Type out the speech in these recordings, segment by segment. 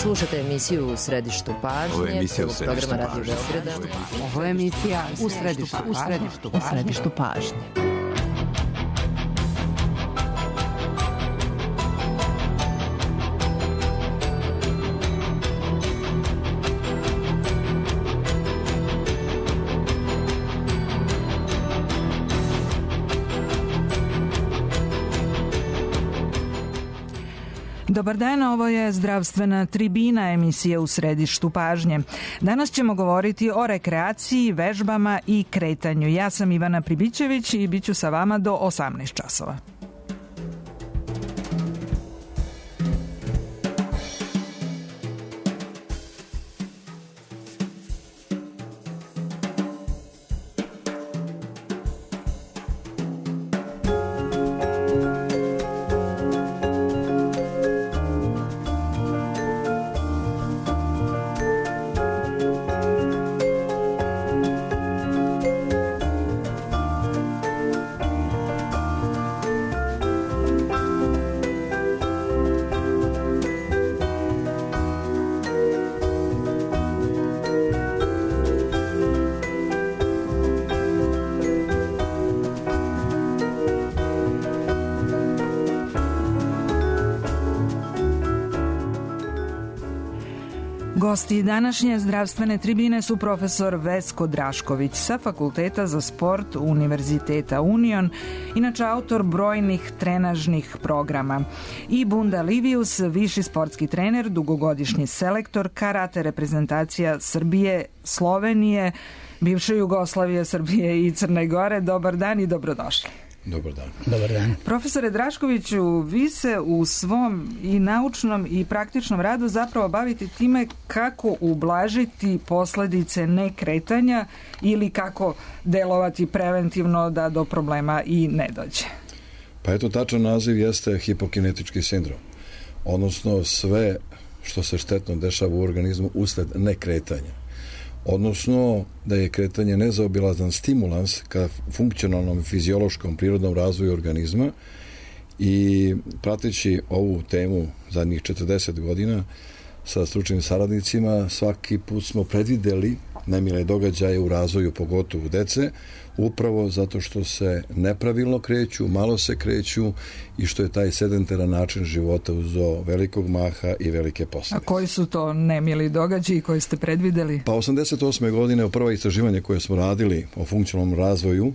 Slušate emisiju U središtu pažnje, programa Radio Beograda. Ovo je emisija U središtu pažnje. Dobar dan, ovo je zdravstvena tribina, emisija U središtu pažnje. Danas ćemo govoriti o rekreaciji, vežbama i kretanju. Ja sam Ivana Pribićević i bit ću sa vama do 18 časova. Gosti današnje zdravstvene tribine su profesor Vesko Drašković sa Fakulteta za sport Univerziteta Union, inače autor brojnih trenažnih programa, i Bunda Livius, viši sportski trener, dugogodišnji selektor karate reprezentacija Srbije, Slovenije, bivše Jugoslavije, Srbije i Crne Gore. Dobar dan i dobrodošli. Dobar dan. Dobar dan. Profesore Draškoviću, vi se u svom i naučnom i praktičnom radu zapravo bavite time kako ublažiti posljedice nekretanja ili kako delovati preventivno da do problema i ne dođe. Pa eto, tačan naziv jeste hipokinetički sindrom, odnosno sve što se štetno dešava u organizmu usled nekretanja. Odnosno da je kretanje nezaobilazan stimulans ka funkcionalnom i fiziološkom prirodnom razvoju organizma, i prateći ovu temu zadnjih 40 godina sa stručnim saradnicima, svaki put smo predvideli nemile događaje u razvoju, pogotovo dece, upravo zato što se nepravilno kreću, malo se kreću i što je taj sedentaran način života uzeo velikog maha i velike posljedice. A koji su to nemili događaji koji ste predvideli? Pa 88. godine u prvo istraživanje koje smo radili o funkcionalnom razvoju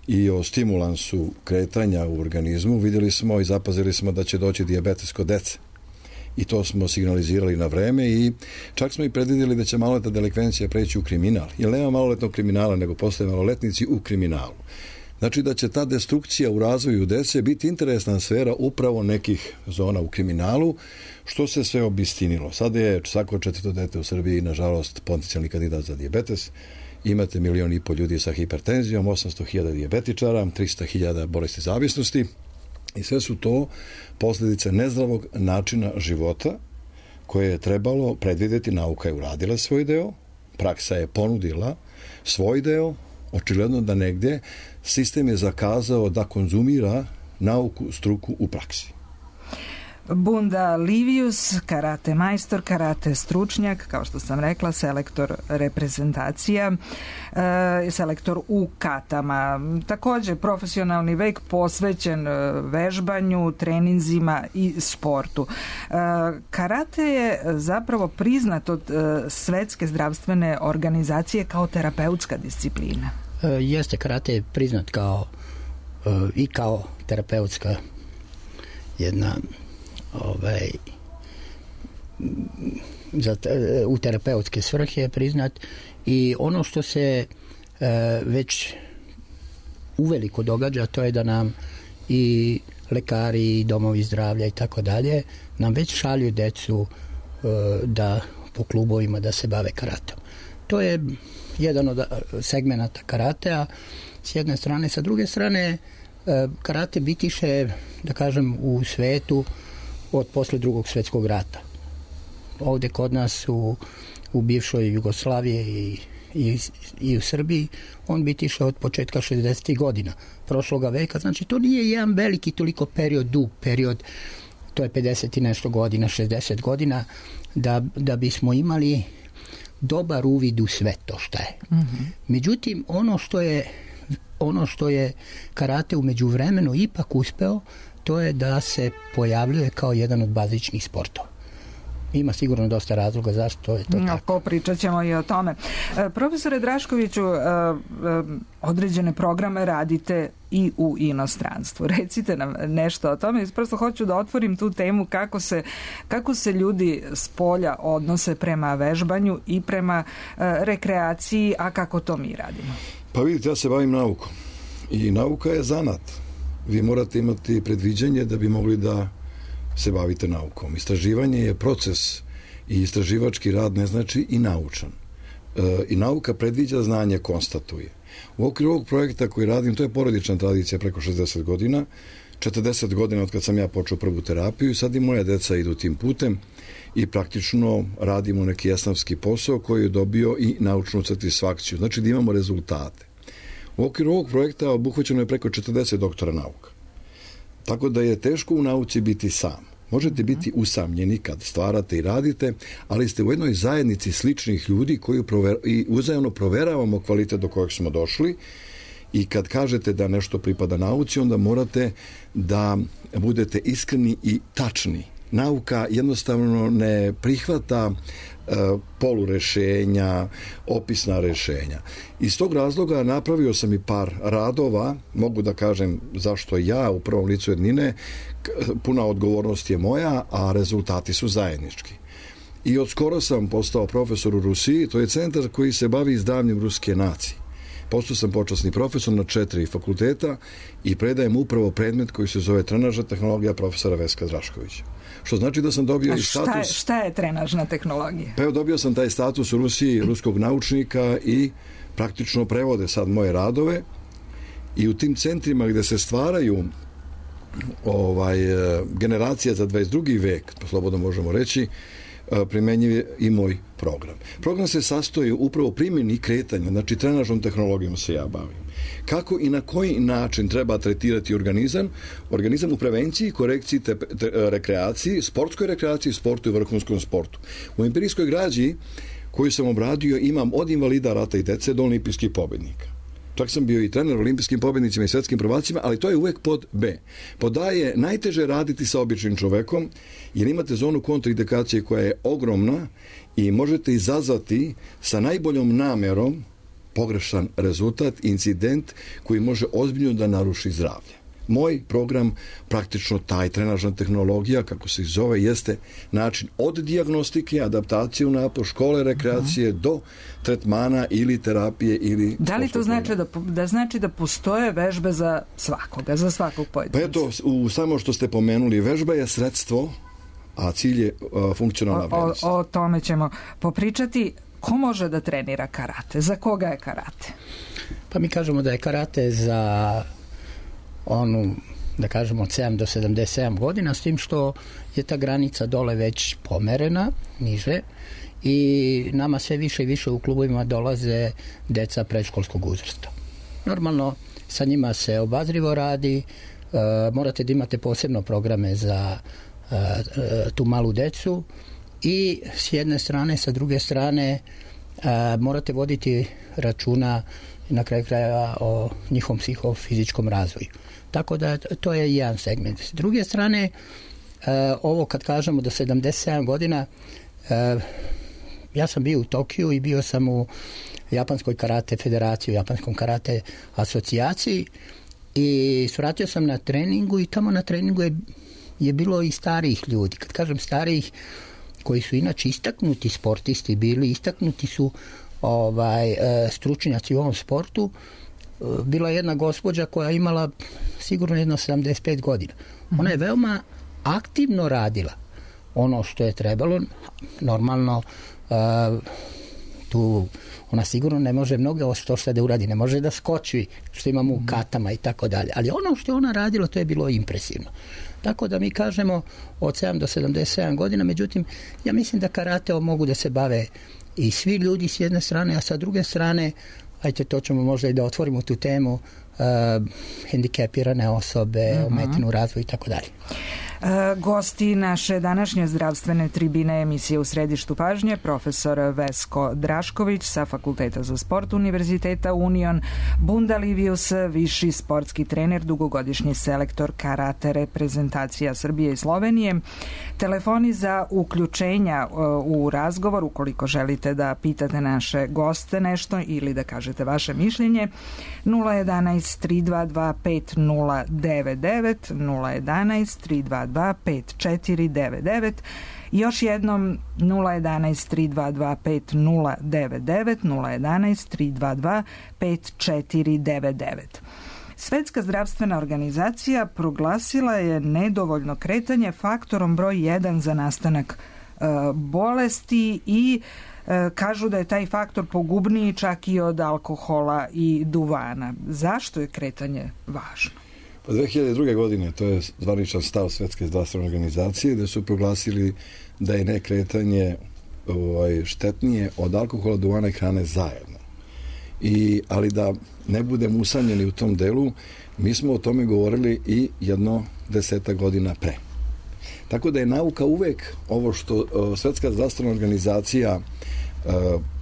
i o stimulansu kretanja u organizmu, vidjeli smo i zapazili smo da će doći dijabetes kod dece. I to smo signalizirali na vreme i čak smo i predvidjeli da će maloletna delikvencija preći u kriminal. Jer nema maloletnog kriminala, nego postoje maloletnici u kriminalu. Znači da će ta destrukcija u razvoju dece biti interesna sfera upravo nekih zona u kriminalu, što se sve obistinilo. Sada je svako 4. dete u Srbiji, nažalost, potencijalni kandidat za dijabetes. Imate 1,5 miliona ljudi sa hipertenzijom, 800.000 dijabetičara, 300.000 bolesti zavisnosti. I sve su to posljedice nezdravog načina života koje je trebalo predvidjeti. Nauka je uradila svoj deo, praksa je ponudila svoj deo, očigledno da negdje sistem je zakazao da konzumira nauku, struku u praksi. Bunda Livius, karate majstor, karate stručnjak, kao što sam rekla, selektor reprezentacija, selektor u katama. Također profesionalni vek posvećen vežbanju, treninzima i sportu. Karate je zapravo priznat od Svetske zdravstvene organizacije kao terapeutska disciplina. Jeste, karate je priznat i kao terapeutska jedna u terapeutske svrhe je priznat, i ono što se već uveliko događa, to je da nam i lekari i domovi zdravlja i tako dalje nam već šalju decu da po klubovima da se bave karatom. To je jedan od segmenata karatea s jedne strane. Sa druge strane, karate bitiše, da kažem, u svetu od posle Drugog svjetskog rata. Ovdje kod nas u bivšoj Jugoslaviji i u Srbiji on bitiše od početka 60. godina prošloga veka. Znači to nije jedan veliki toliko period, dug period to je 50 i nešto godina, 60 godina, da bismo imali dobar uvid u sve to šta je. Međutim, ono što je karate u međuvremenu ipak uspeo, to je da se pojavljuje kao jedan od bazičnih sportova. Ima sigurno dosta razloga zašto je to tako. Popričat ćemo i o tome. Profesore Draškoviću, određene programe radite i u inostranstvu. Recite nam nešto o tome. Prosto hoću da otvorim tu temu kako se ljudi s polja odnose prema vežbanju i prema rekreaciji, a kako to mi radimo. Pa vidite, ja se bavim naukom. I nauka je zanat. Vi morate imati predviđanje da bi mogli da se bavite naukom. Istraživanje je proces i istraživački rad ne znači i naučan. I nauka predviđa, znanje konstatuje. U okviru ovog projekta koji radim, to je porodična tradicija preko 60 godina, 40 godina od kad sam ja počeo prvu terapiju i sad i moja deca idu tim putem i praktično radimo neki jasnavski posao koji je dobio i naučnu satisfakciju. Znači da imamo rezultate. U okviru ovog projekta obuhvaćeno je preko 40 doktora nauka. Tako da je teško u nauci biti sam. Možete biti usamljeni kad stvarate i radite, ali ste u jednoj zajednici sličnih ljudi koji uzajamno proveravamo kvalitet do kojeg smo došli i kad kažete da nešto pripada nauci, onda morate da budete iskreni i tačni. Nauka jednostavno ne prihvata polurešenja, opisna rešenja. Iz tog razloga napravio sam i par radova, mogu da kažem zašto ja u prvom licu jednine, puna odgovornost je moja, a rezultati su zajednički. I od skoro sam postao profesor u Rusiji, to je centar koji se bavi zdravljem ruske nacije. Postao sam počasni profesor na 4 fakulteta i predajem upravo predmet koji se zove trenažna tehnologija profesora Veska Draškovića. Što znači da sam dobio i status... Šta je trenažna tehnologija? Pa evo, dobio sam taj status u Rusiji ruskog naučnika i praktično prevode sad moje radove i u tim centrima gde se stvaraju generacija za 22. vek, slobodno možemo reći, primenjiv je i moj program. Program se sastoji upravo primjeni kretanja, znači trenažnom tehnologijom se ja bavim. Kako i na koji način treba tretirati organizam u prevenciji, korekciji, rekreaciji, sportskoj rekreaciji, sportu i vrhunskom sportu. U empirijskoj građi koju sam obradio imam od invalida rata i dece do olimpijskih pobednika. Čak sam bio i trener olimpijskim pobednicima i svetskim prvacima, ali to je uvek pod B. Pod A je najteže raditi sa običnim čovekom, jer imate zonu kontraindikacije koja je ogromna i možete izazvati sa najboljom namerom pogrešan rezultat, incident koji može ozbiljno da naruši zdravlje. Moj program, praktično taj trenažna tehnologija, kako se zove, jeste način od dijagnostike, adaptacije u napor, škole, rekreacije do tretmana ili terapije ili... Da li to znači da postoje vežbe za svakoga, za svakog pojedinca? Pa eto, samo što ste pomenuli, vežba je sredstvo, a cilj je funkcionalna vrednost. O tome ćemo popričati. Ko može da trenira karate? Za koga je karate? Pa mi kažemo da je karate za onu, da kažemo, od 7 do 77 godina, s tim što je ta granica dole već pomerena, niže, i nama sve više i više u klubovima dolaze deca predškolskog uzrasta. Normalno, sa njima se obazrivo radi, morate da imate posebno programe za tu malu decu i s jedne strane, sa druge strane morate voditi računa na kraju krajeva o njihovom psihofizičkom razvoju. Tako da to je jedan segment. S druge strane, ovo kad kažemo do 77 godina, ja sam bio u Tokiju i bio sam u Japanskoj karate federaciji, u Japanskom karate asocijaciji i svratio sam na treningu i tamo na treningu je bilo i starijih ljudi. Kad kažem starijih, koji su inače istaknuti sportisti bili, istaknuti su stručnjaci u ovom sportu. Bila je jedna gospođa koja je imala sigurno jedno 75 godina. Ona je veoma aktivno radila ono što je trebalo. Normalno tu ona sigurno ne može mnogo što da uradi, ne može da skoči što imamo u katama i tako dalje. Ali ono što je ona radila, to je bilo impresivno. Tako da mi kažemo od 7 do 77 godina, međutim, ja mislim da karate mogu da se bave i svi ljudi s jedne strane, a sa druge strane, ajte, to ćemo možda i da otvorimo tu temu, hendikepirane osobe, ometenu razvoju i tako dalje. Gosti naše današnje zdravstvene tribine emisije U središtu pažnje, profesor Vesko Drašković sa Fakulteta za sport Univerziteta Union, Bunda Livius, viši sportski trener, dugogodišnji selektor karate reprezentacija Srbije i Slovenije. Telefoni za uključenja u razgovor, ukoliko želite da pitate naše goste nešto ili da kažete vaše mišljenje, 011 322 5099, 011 322 5499, još jednom 011 322 5099, 011 322 5499. Svetska zdravstvena organizacija proglasila je nedovoljno kretanje faktorom broj 1 za nastanak bolesti i kažu da je taj faktor pogubniji čak i od alkohola i duvana. Zašto je kretanje važno? Pa 2002. godine, to je zvaničan stav Svetske zdravstvene organizacije, gde su proglasili da je nekretanje štetnije od alkohola, duvana i hrane zajedno. Ali da ne budemo usamljeni u tom delu, mi smo o tome govorili i 10 godina pre. Tako da je nauka uvek ovo što Svetska zdravstvena organizacija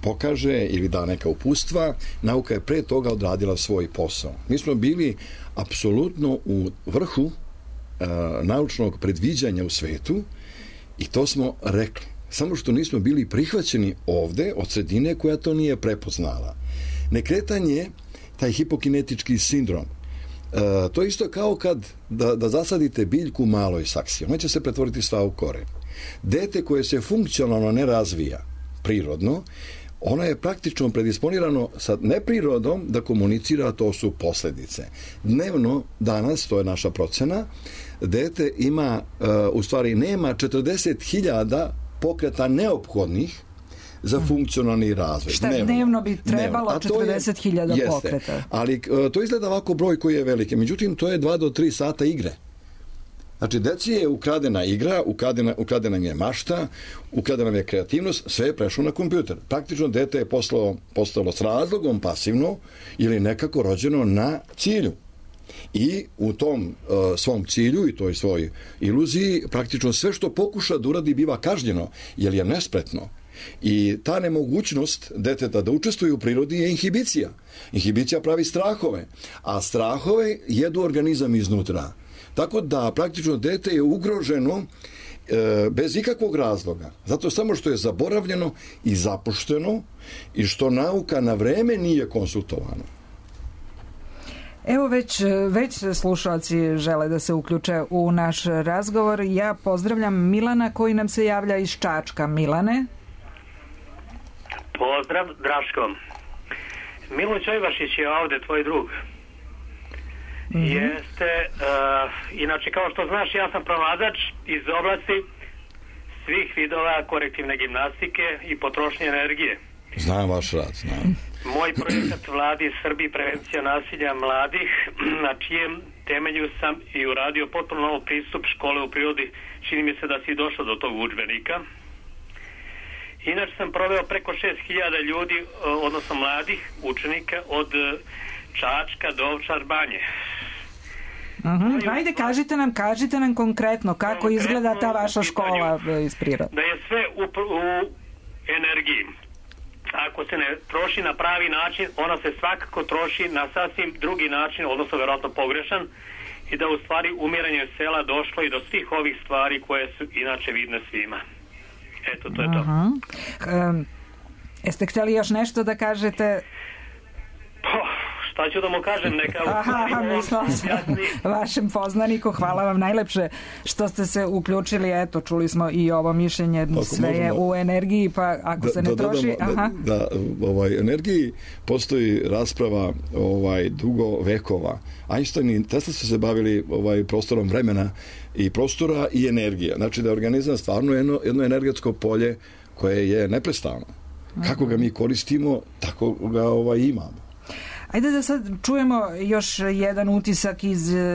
pokaže ili da neka uputstva, nauka je pre toga odradila svoj posao. Mi smo bili apsolutno u vrhu naučnog predviđanja u svetu i to smo rekli. Samo što nismo bili prihvaćeni ovde od sredine koja to nije prepoznala. Nekretanje, taj hipokinetički sindrom, to je isto kao kad da zasadite biljku u maloj saksiji. Ona će se pretvoriti sva u koren. Dete koje se funkcionalno ne razvija prirodno, ono je praktično predisponirano sa neprirodom da komunicira, to su posledice. Dnevno, danas, to je naša procena, dete ima, u stvari nema 40.000 pokreta neophodnih za funkcionalni razvoj. Šta dnevno bi trebalo 40.000 pokreta? Ali to izgleda ovako broj koji je veliki. Međutim, to je 2 do 3 sata igre. Znači, deci je ukradena igra, ukradena je mašta, ukradena je kreativnost, sve je prešlo na kompjuter. Praktično, dete je postalo s razlogom pasivno ili nekako rođeno na cilju. I u tom svom cilju i toj svoj iluziji praktično sve što pokuša da uradi biva kažnjeno, jer je nespretno. I ta nemogućnost deteta da učestvuje u prirodi je inhibicija. Inhibicija pravi strahove, a strahove jedu organizam iznutra. Tako da praktično dete je ugroženo bez ikakvog razloga. Zato samo što je zaboravljeno i zapušteno i što nauka na vreme nije konsultovana. Evo već slušalci žele da se uključe u naš razgovor. Ja pozdravljam Milana koji nam se javlja iz Čačka. Milane? Pozdrav, Draško. Milo Čojvašić je ovde, tvoj drug. Jeste, inače kao što znaš, ja sam provadač iz oblasti svih vidova korektivne gimnastike i potrošnje energije. Znam vaš rad, znam. Moj projekat Vladi Srbiji prevencija nasilja mladih, na čijem temelju sam i uradio potpuno novo pristup škole u prirodi. Čini mi se da si došao do tog udžbenika. Inače sam proveo preko 6.000 ljudi, odnosno mladih učenika od Čačka do Ovčar Banje. Ajde, kažite nam konkretno kako izgleda ta vaša škola iz prirode. Da je sve u energiji. Ako se ne troši na pravi način, ona se svakako troši na sasvim drugi način, odnosno verovatno pogrešan, i da u stvari umiranje sela došlo i do svih ovih stvari koje su inače vidne svima. Eto, to je to. Jeste htjeli još nešto da kažete? Šta ću da mu kažem? Mislila sam vašem poznaniku. Hvala vam najlepše što ste se uključili. Eto, čuli smo i ovo mišljenje. Sve je u energiji, pa ako se ne troši... Da, energiji postoji rasprava dugo vekova. Einstein i Tesla su se bavili prostorom vremena i prostora i energija. Znači da je organizam stvarno jedno energetsko polje koje je neprestano. Kako ga mi koristimo, tako ga imamo. Ajde da sad čujemo još jedan utisak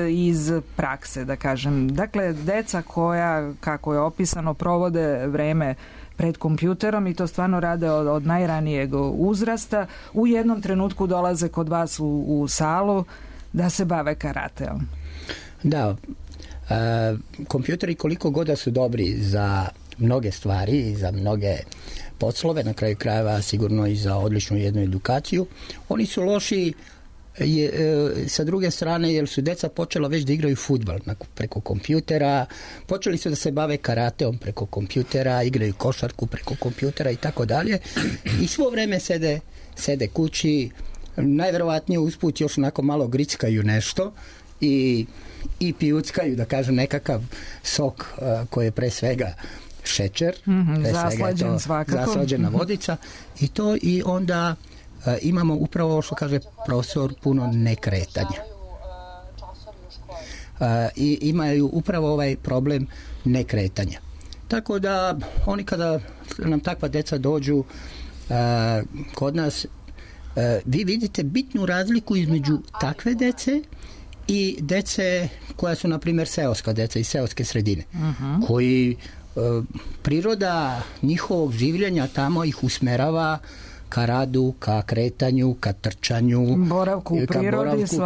iz prakse, da kažem. Dakle, deca koja, kako je opisano, provode vreme pred kompjuterom i to stvarno rade od najranijeg uzrasta, u jednom trenutku dolaze kod vas u salu da se bave karateom. Da, Kompjuteri koliko god da su dobri za mnoge stvari i za mnoge poslove, na kraju krajeva sigurno i za odličnu jednu edukaciju, oni su loši sa druge strane jer su deca počela već da igraju fudbal preko kompjutera, počeli su da se bave karateom preko kompjutera, igraju košarku preko kompjutera i tako dalje i svo vreme sede kući, najverovatnije usput još onako malo grickaju nešto i pijuckaju, da kažem, nekakav sok koji je pre svega šećer, zaslađen svakako, zaslađena vodica i onda imamo upravo ovo što kaže profesor, puno nekretanja. I imaju upravo ovaj problem nekretanja. Tako da oni kada nam takva deca dođu kod nas, vi vidite bitnu razliku između takve dece i dece koja su, na primjer, seoska deca iz seoske sredine, koji priroda njihovog življenja tamo ih usmerava ka radu, ka kretanju, ka trčanju, boravku u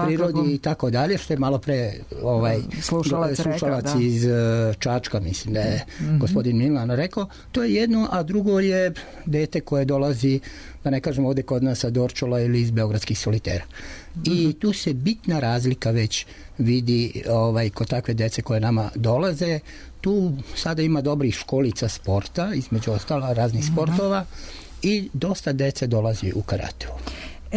prirodi i tako dalje, što je malo pre slušalac iz Čačka, mislim da je gospodin Milan rekao. To je jedno, a drugo je dete koje dolazi, da ne kažem ovdje kod nas, sa Dorčola ili iz Beogradskih solitera. I tu se bitna razlika već vidi kod takve dece koje nama dolaze. Tu sada ima dobrih školica sporta, između ostala raznih sportova, i dosta dece dolazi u karateu.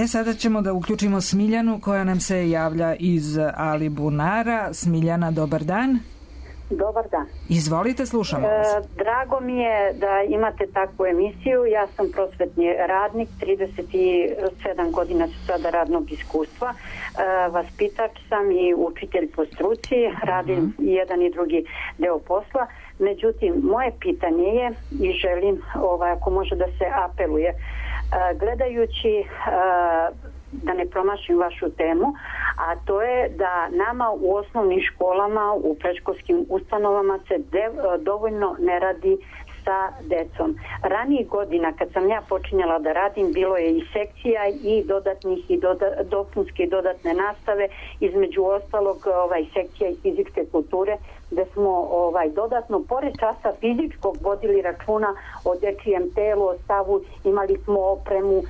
Sada ćemo da uključimo Smiljanu koja nam se javlja iz Alibunara. Smiljana, dobar dan. Dobar dan. Izvolite, slušamo vas. Drago mi je da imate takvu emisiju. Ja sam prosvetni radnik, 37 godina su sada radnog iskustva. Vaspitač sam i učitelj po struci, radim i jedan i drugi deo posla. Međutim, moje pitanje je, i želim ako može da se apeluje, gledajući, da ne promašim vašu temu, a to je da nama u osnovnim školama, u predškolskim ustanovama se dovoljno ne radi sa decom. Ranijih godina kad sam ja počinjala da radim, bilo je i sekcija i dodatnih i dopunske i dodatne nastave, između ostalog sekcija i fizičke kulture, gde smo dodatno pored časa fizičkog vodili računa o dečijem telu, o stavu, imali smo opremu,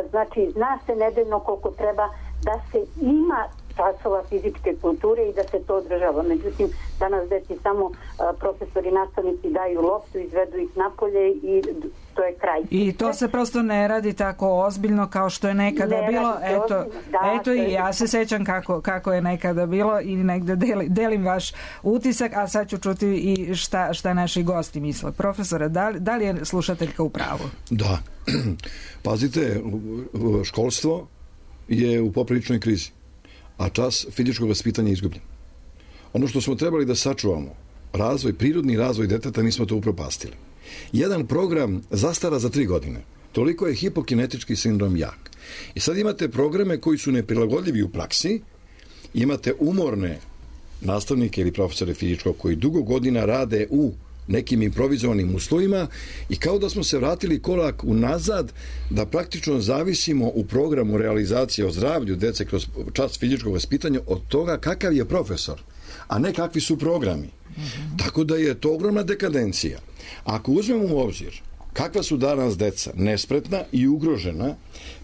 znači zna se nedeljno koliko treba da se ima časova fizičke kulture i da se to održava. Međutim, danas deci samo profesori i nastavnici daju loptu, izvedu ih napolje i to je kraj. I to se prosto ne radi tako ozbiljno kao što je nekada bilo. Eto i ja se sećam kako je nekada bilo i negde delim vaš utisak, a sad ću čuti i šta naši gosti misle. Profesore, da li je slušateljka u pravu? Da. Pazite, školstvo je u popriličnoj krizi, a čas fizičkog vaspitanja je izgubljen. Ono što smo trebali da sačuvamo, prirodni razvoj deteta, mi smo to upropastili. Jedan program zastara za 3 godine. Toliko je hipokinetički sindrom jak. I sad imate programe koji su neprilagodljivi u praksi, imate umorne nastavnike ili profesore fizičkog koji dugo godina rade u nekim improvizovanim uslovima i kao da smo se vratili korak unazad, da praktično zavisimo u programu realizacije o zdravlju dece kroz čas fizičkog vaspitanja od toga kakav je profesor, a ne kakvi su programi. Tako da je to ogromna dekadencija. Ako uzmemo u obzir kakva su danas deca nespretna i ugrožena,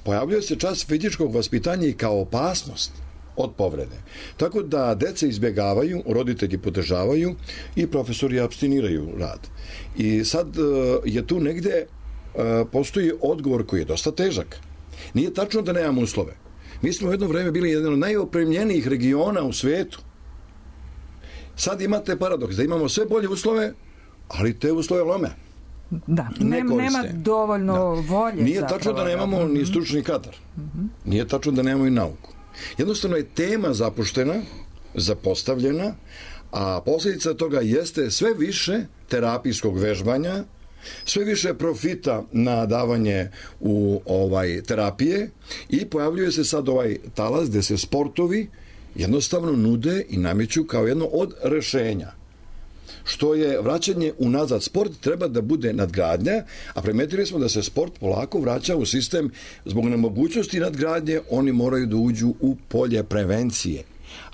pojavljuje se čas fizičkog vaspitanja i kao opasnost od povrede. Tako da deca izbjegavaju, roditelji podržavaju i profesori abstiniraju rad. I sad je tu negde postoji odgovor koji je dosta težak. Nije tačno da nemamo uslove. Mi smo u jedno vreme bili jedan od najopremljenijih regiona u svetu. Sad imate paradoks da imamo sve bolje uslove, ali te uslove lome. Da, nema dovoljno volje. Nije tačno da nemamo ni stručni kadar. Nije tačno da nemamo i nauku. Jednostavno je tema zapuštena, zapostavljena, a posljedica toga jeste sve više terapijskog vežbanja, sve više profita na davanje u terapije i pojavljuje se sad ovaj talas gde se sportovi jednostavno nude i nameću kao jedno od rešenja. Što je vraćanje unazad. Sport treba da bude nadgradnja, a primetili smo da se sport polako vraća u sistem zbog nemogućnosti nadgradnje, oni moraju da uđu u polje prevencije.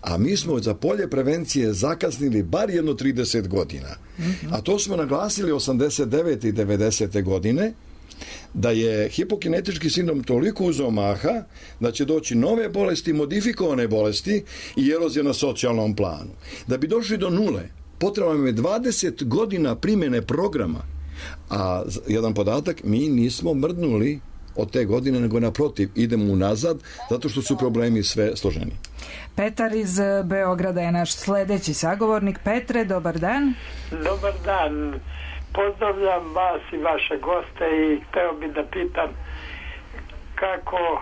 A mi smo za polje prevencije zakasnili bar jedno 30 godina. A to smo naglasili 89. i 90. godine, da je hipokinetički sindrom toliko uzeo maha da će doći nove bolesti, modifikovane bolesti i erozija na socijalnom planu. Da bi došli do nule, potrebno je 20 godina primjene programa. A jedan podatak, mi nismo mrdnuli od te godine, nego naprotiv, idemo unazad, zato što su problemi sve složeni. Petar iz Beograda je naš sledeći sagovornik. Petre, dobar dan. Dobar dan. Pozdravljam vas i vaše goste i hteo bi da pitam kako,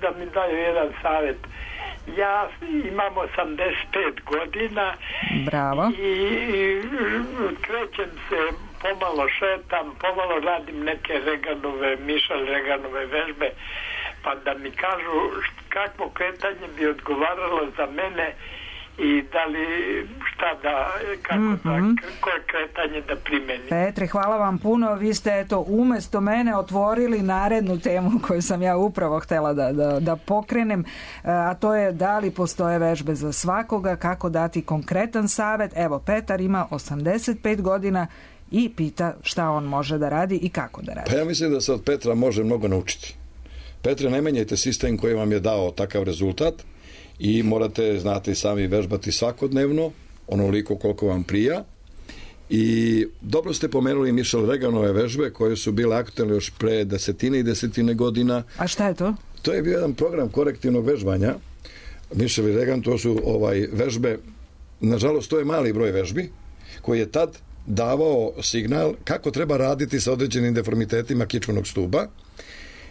da mi daju jedan savjet. Ja imam 85 godina. Bravo. I krećem se, pomalo šetam, pomalo radim neke Mišel Reganove vežbe, pa da mi kažu kakvo kretanje bi odgovaralo za mene i da li koje kretanje da primenim. Petre, hvala vam puno. Vi ste umesto mene otvorili narednu temu koju sam ja upravo htjela da pokrenem, a to je da li postoje vežbe za svakoga, kako dati konkretan savjet. Evo, Petar ima 85 godina i pita šta on može da radi i kako da radi. Pa ja mislim da se od Petra može mnogo naučiti. Petre, ne menjajte sistem koji vam je dao takav rezultat i morate, znate, sami vežbati svakodnevno, onoliko koliko vam prija. I dobro ste pomenuli Mišel Reganove vežbe koje su bile aktualne još pre desetine godina. A šta je to? To je bio jedan program korektivnog vežbanja. Mišel i Regan, to su vežbe, nažalost to je mali broj vežbi koji je tad davao signal kako treba raditi sa određenim deformitetima kičmenog stuba.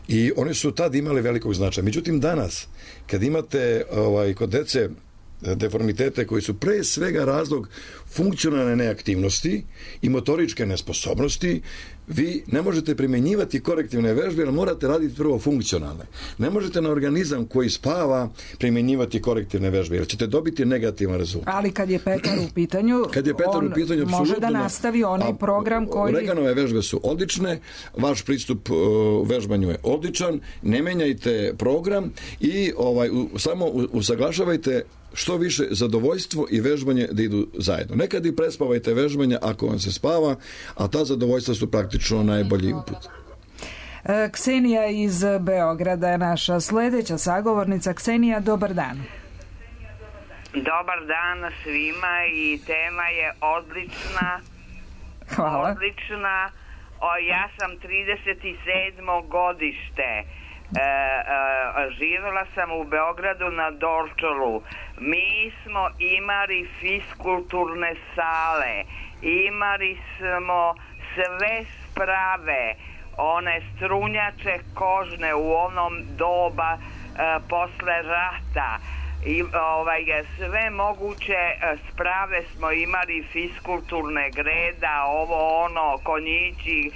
I oni su tad imali velikog značaja. Međutim, danas, kad imate kod dece deformitete koji su pre svega razlog funkcionalne neaktivnosti i motoričke nesposobnosti, vi ne možete primjenjivati korektivne vežbe, jer morate raditi prvo funkcionalne. Ne možete na organizam koji spava primjenjivati korektivne vežbe, jer ćete dobiti negativan rezultat. Ali kad je Petar u pitanju, on može da nastavi onaj program koji... Reganove vežbe su odlične, vaš pristup vežbanju je odličan, ne menjajte program i samo usaglašavajte što više zadovoljstvo i vežbanje da idu zajedno. Nekad i prespavajte vežbanje ako vam se spava, a ta zadovoljstva su praktično najbolji uput. Ksenija iz Beograda je naša sledeća sagovornica. Ksenija, dobar dan. Dobar dan svima i tema je odlična. Hvala. Odlična. Ja sam 37. godište. Živjela sam u Beogradu na Dorčolu. Mi smo imali fiskulturne sale, imali smo sve sprave, one strunjače kožne u onom doba posle rata i sve moguće sprave smo imali, fiskulturne, greda, ovo ono, konjići,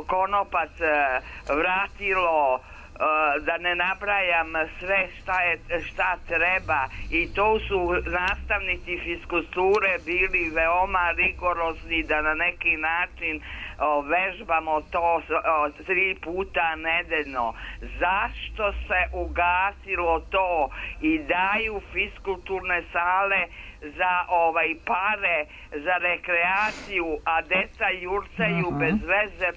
konopac, vratilo, da ne nabrajam sve šta treba, i to su nastavnici fiskulture bili veoma rigorozni da na neki način vežbamo to 3 puta nedeljno. Zašto se ugasilo to i daju fiskulturne sale za pare, za rekreaciju, a deca jurcaju bez veze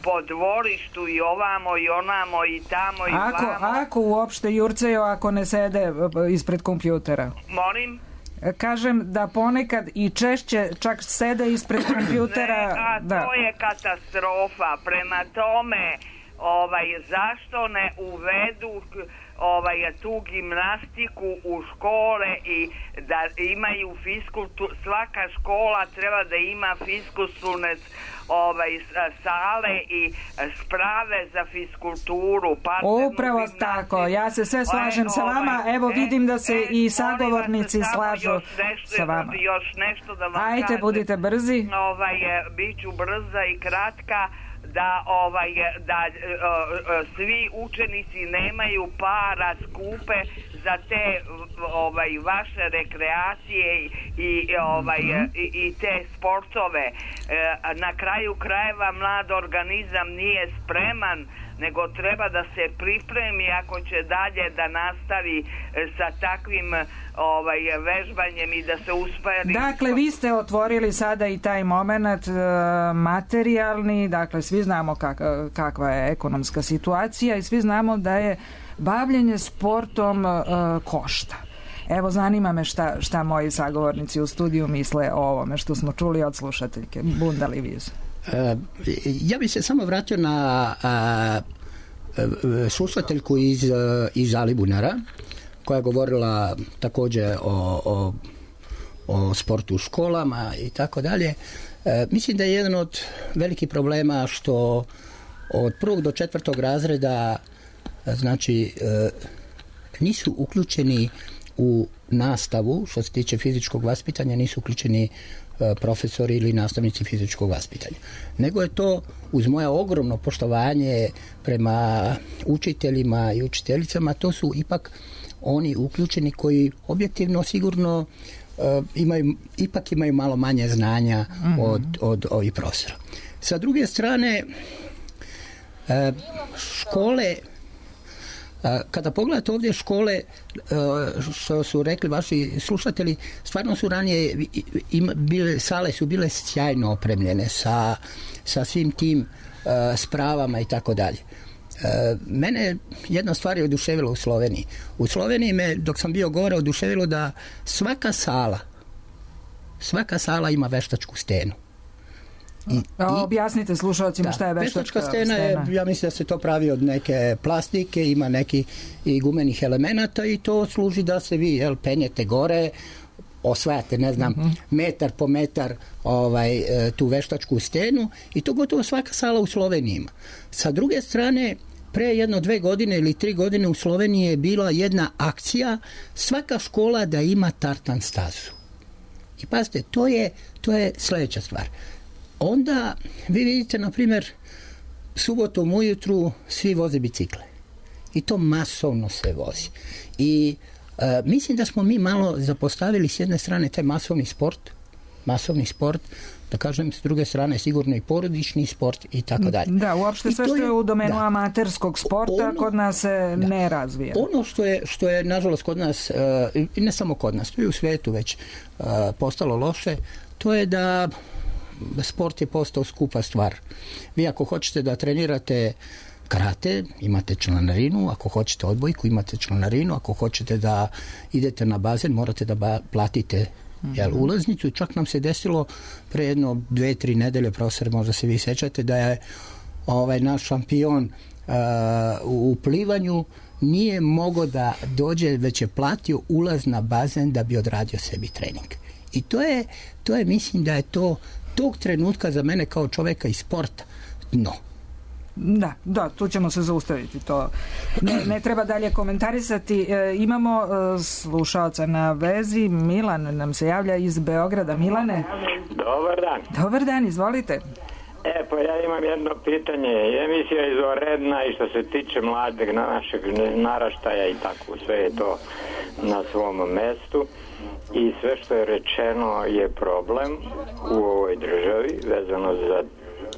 po dvorištu i ovamo i onamo i tamo i vamo. Ako uopšte jurcaju, ako ne sede ispred kompjutera? Molim? Kažem da ponekad i češće čak sede ispred kompjutera. To je katastrofa. Prema tome, zašto ne uvedu tu gimnastiku u škole i da imaju svaka škola treba da ima fiskulturne sale i sprave za fiskulturu. Upravo tako, ja se sve slažem sa vama, evo vidim da se i sagovornici slažu sa vama. Još nešto da vam Ajte, budite brzi. Biću brza i kratka. Da svi učenici nemaju para skupe za te vaše rekreacije i te sportove. Na kraju krajeva mlad organizam nije spreman, nego treba da se pripremi ako će dalje da nastavi sa takvim vežbanjem i da se usperi. Dakle, vi ste otvorili sada i taj moment materijalni, dakle svi znamo kakva je ekonomska situacija i svi znamo da je bavljenje sportom košta. Evo, zanima me šta moji sagovornici u studiju misle o ovome što smo čuli od slušateljke. Bunda Livius. Ja bih se samo vratio na slušateljku iz Alibunara koja je govorila također o sportu u školama i tako dalje. Mislim da je jedan od velikih problema što od 1. do 4. razreda znači nisu uključeni u nastavu što se tiče fizičkog vaspitanja, nisu uključeni profesori ili nastavnici fizičkog vaspitanja. Nego je to, uz moje ogromno poštovanje prema učiteljima i učiteljicama, to su ipak oni uključeni koji objektivno sigurno imaju malo manje znanja od ovih profesora. Sa druge strane, škole, kada pogledate ovdje škole, što su rekli vaši slušatelji, stvarno su ranije sale su bile sjajno opremljene sa svim tim spravama i tako dalje. Mene jedna stvar je oduševila u Sloveniji. U Sloveniji me, dok sam bio gore, oduševilo da svaka sala ima veštačku stenu. Objasnite slušalcima šta je veštačka stena. Ja mislim da se to pravi od neke plastike, ima neki i gumenih elemenata i to služi da se vi penjete gore, osvajate, ne znam, metar po metar tu veštačku stenu i to gotovo svaka sala u Sloveniji ima. Sa druge strane, pre 1-2 godine ili 3 godine u Sloveniji je bila jedna akcija, svaka škola da ima tartan stazu. I pazite, to je sljedeća stvar. Onda vi vidite, na primjer, subotom ujutru svi voze bicikle. I to masovno se vozi. I mislim da smo mi malo zapostavili s jedne strane taj masovni sport, da kažem, s druge strane sigurno i porodični sport i tako dalje. Da, uopšte sve što je u domenu amaterskog sporta kod nas se ne razvija. Ono što je nažalost kod nas, i ne samo kod nas, to je u svijetu već postalo loše, to je da sport je postao skupa stvar. Vi ako hoćete da trenirate karate, imate članarinu, ako hoćete odbojku, imate članarinu, ako hoćete da idete na bazen, morate da platite ulaznicu. Čak nam se desilo pre 2-3 nedelje, profesor, možda se vi sećate, da je naš šampion u plivanju nije mogao da dođe, već je platio ulaz na bazen da bi odradio sebi trening. I to je mislim da je to tog trenutka za mene kao čovjeka iz sporta dno. Da, tu ćemo se zaustaviti. To ne treba dalje komentarisati. Imamo slušaoca na vezi. Milan nam se javlja iz Beograda. Milane? Dobar dan. Dobar dan, izvolite. Pa ja imam jedno pitanje. Emisija je izvanredna i što se tiče mladeg našeg naraštaja i tako, sve je to na svom mestu. I sve što je rečeno je problem u ovoj državi vezano za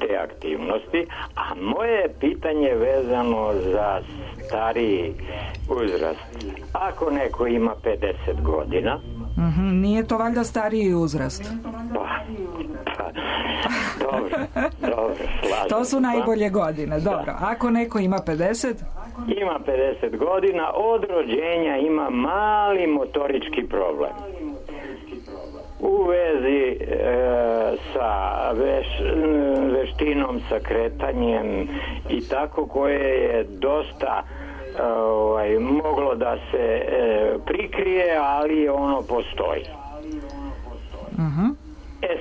te aktivnosti, a moje pitanje vezano za stariji uzrast. Ako neko ima 50 godina... Nije to valjda stariji uzrast? Dobro, slažem. To su najbolje godine, dobro. Ako neko ima 50? Ima 50 godina, od rođenja ima mali motorički problem. U vezi sa veštinom, sa kretanjem i tako, koje je dosta moglo da se prikrije, ali ono postoji.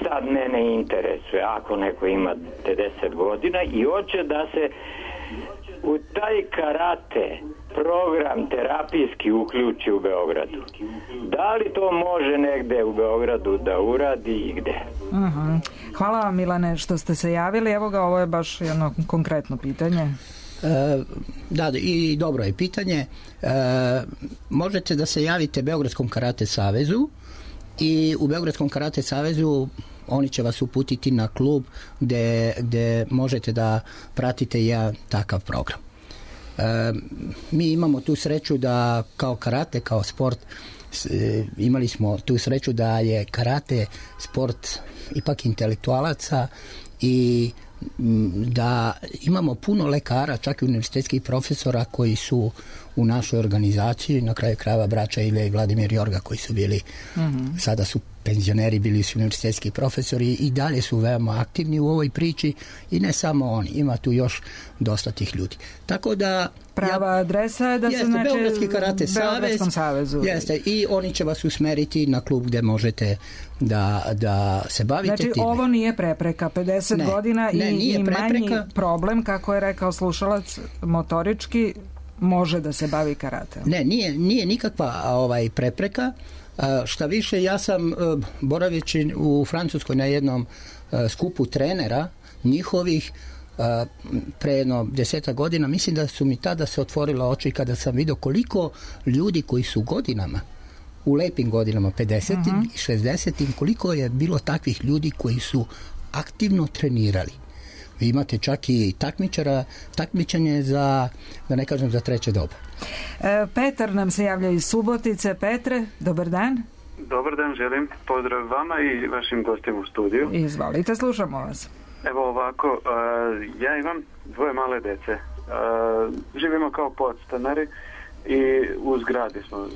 Sad mene interesuje, ako neko ima 50 godina i hoće da se u taj karate program terapijski uključi u Beogradu. Da li to može negde u Beogradu da uradi i gde? Hvala vam, Milane, što ste se javili. Evo ga, ovo je baš jedno konkretno pitanje. Da, i dobro je pitanje. Možete da se javite Beogradskom karate savezu i u Beogradskom karate savezu oni će vas uputiti na klub gde možete da pratite jedan takav program. Mi imamo tu sreću da kao karate, kao sport, imali smo tu sreću da je karate sport ipak intelektualaca i da imamo puno lekara, čak i univerzitetskih profesora koji su u našoj organizaciji, na kraju krajeva braća Ilija i Vladimir Jorga koji su bili, sada su penzioneri, bili su univerzitetski profesori i dalje su veoma aktivni u ovoj priči i ne samo oni, ima tu još dosta tih ljudi. Tako da prava adresa je da se znači Beogradski karate savezu. Jeste, i oni će vas usmeriti na klub gde možete da se bavite znači, time. Ovo nije prepreka, 50 godina i manji problem, kako je rekao slušalac, motorički može da se bavi karateom. Ne, nije nikakva prepreka. Šta više, ja sam boraveći u Francuskoj na jednom skupu trenera njihovih pre jedno 10 godina, mislim da su mi tada se otvorila oči kada sam vidio koliko ljudi koji su godinama, u lepim godinama, 50-im i 60-im, koliko je bilo takvih ljudi koji su aktivno trenirali. Vi imate čak i takmičenje za, da ne kažem, za treće doba. Petar nam se javlja iz Subotice. Petre, dobar dan. Dobar dan, želim pozdrav vama i vašim gostima u studiju. Izvolite, slušamo vas. Evo ovako, ja imam 2 male dece. Živimo kao podstanari i u zgradi smo.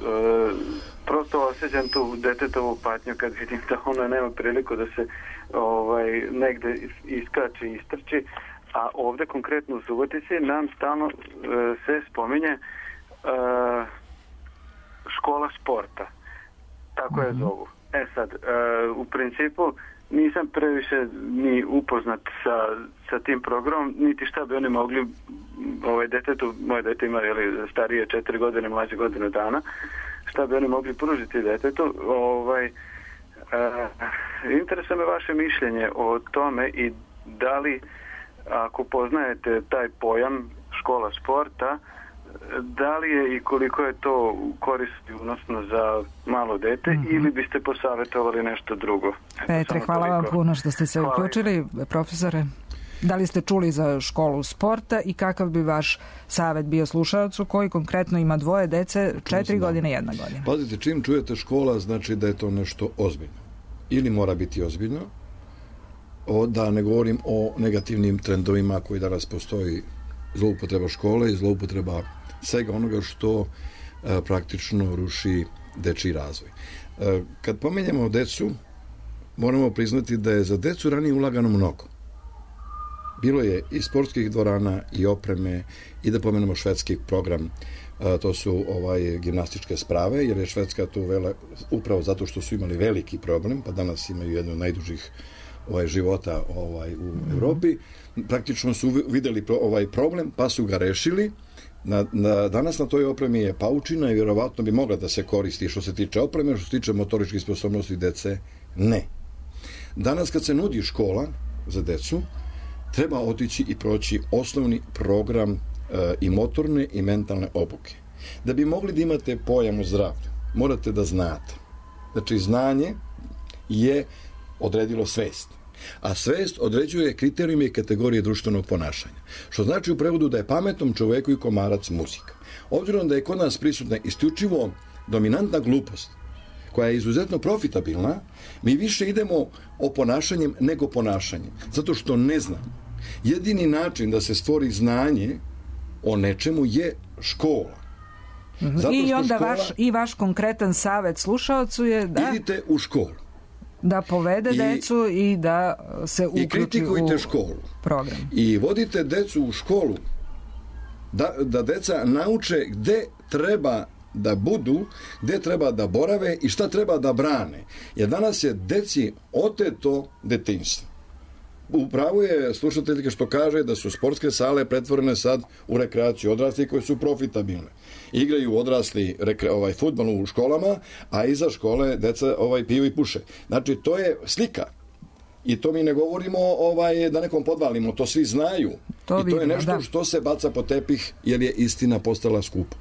Prosto osjećam tu detetovu patnju kad vidim da ona nema priliku da se negde iskače i istrči, a ovde konkretno u Subotici nam stalno se spominje škola sporta. Tako je zovu. Sad, u principu nisam previše ni upoznat sa tim programom, niti šta bi oni mogli detetu, moje dete ima starije 4 godine, mlađe godinu dana, šta bi oni mogli pružiti detetu. Interesuje me vaše mišljenje o tome i da li, ako poznajete taj pojam škola sporta, da li je i koliko je to koristi unosno za malo dete ili biste posavjetovali nešto drugo? Petre, hvala vam puno što ste se uključili. Profesore, da li ste čuli za školu sporta i kakav bi vaš savjet bio slušalcu koji konkretno ima 2 dece, 4 godine i 1 godina? Pazite, čim čujete škola, znači da je to nešto ozbiljno. Ili mora biti ozbiljno, da ne govorim o negativnim trendovima koji danas postoji, zloupotreba škole i zloupotreba svega onoga što praktično ruši dečiji razvoj. Kad pomenjamo decu, moramo priznati da je za decu ranije ulagano mnogo. Bilo je i sportskih dvorana i opreme i da pomenemo švedski program, to su gimnastičke sprave, jer je Švedska tu upravo zato što su imali veliki problem, pa danas imaju jednu od najdužih života u Evropi. Praktično su videli problem, pa su ga rešili. Danas na toj opremi je paučina i vjerovatno bi mogla da se koristi što se tiče opreme, što se tiče motoričkih sposobnosti dece, ne. Danas kad se nudi škola za decu, treba otići i proći osnovni program i motorne i mentalne obuke. Da bi mogli da imate pojam o zdravlju, morate da znate. Znači, znanje je odredilo svest. A svest određuje kriterijume i kategorije društvenog ponašanja. Što znači u prevodu da je pametnom čoveku i komarac muzika. Obzirom da je kod nas prisutna isključivo dominantna glupost, koja je izuzetno profitabilna, mi više idemo oponašanjem nego ponašanjem. Zato što ne znam. Jedini način da se stvori znanje o nečemu je škola. I onda vaš konkretan savjet slušalcu je da idite u školu. Da povede decu i da se uključi u kritikujte školu. Program. I vodite decu u školu da deca nauče gde treba da budu, gde treba da borave i šta treba da brane. Jer danas je deci oteto detinjstvo. Upravo je slušateljka što kaže da su sportske sale pretvorene sad u rekreaciju odraslih koje su profitabilne. Igraju odrasli fudbal u školama, a iza škole deca piju i puše. Znači, to je slika. I to mi ne govorimo da nekom podvalimo, to svi znaju. I to je nešto što se baca po tepih jer je istina postala skupa.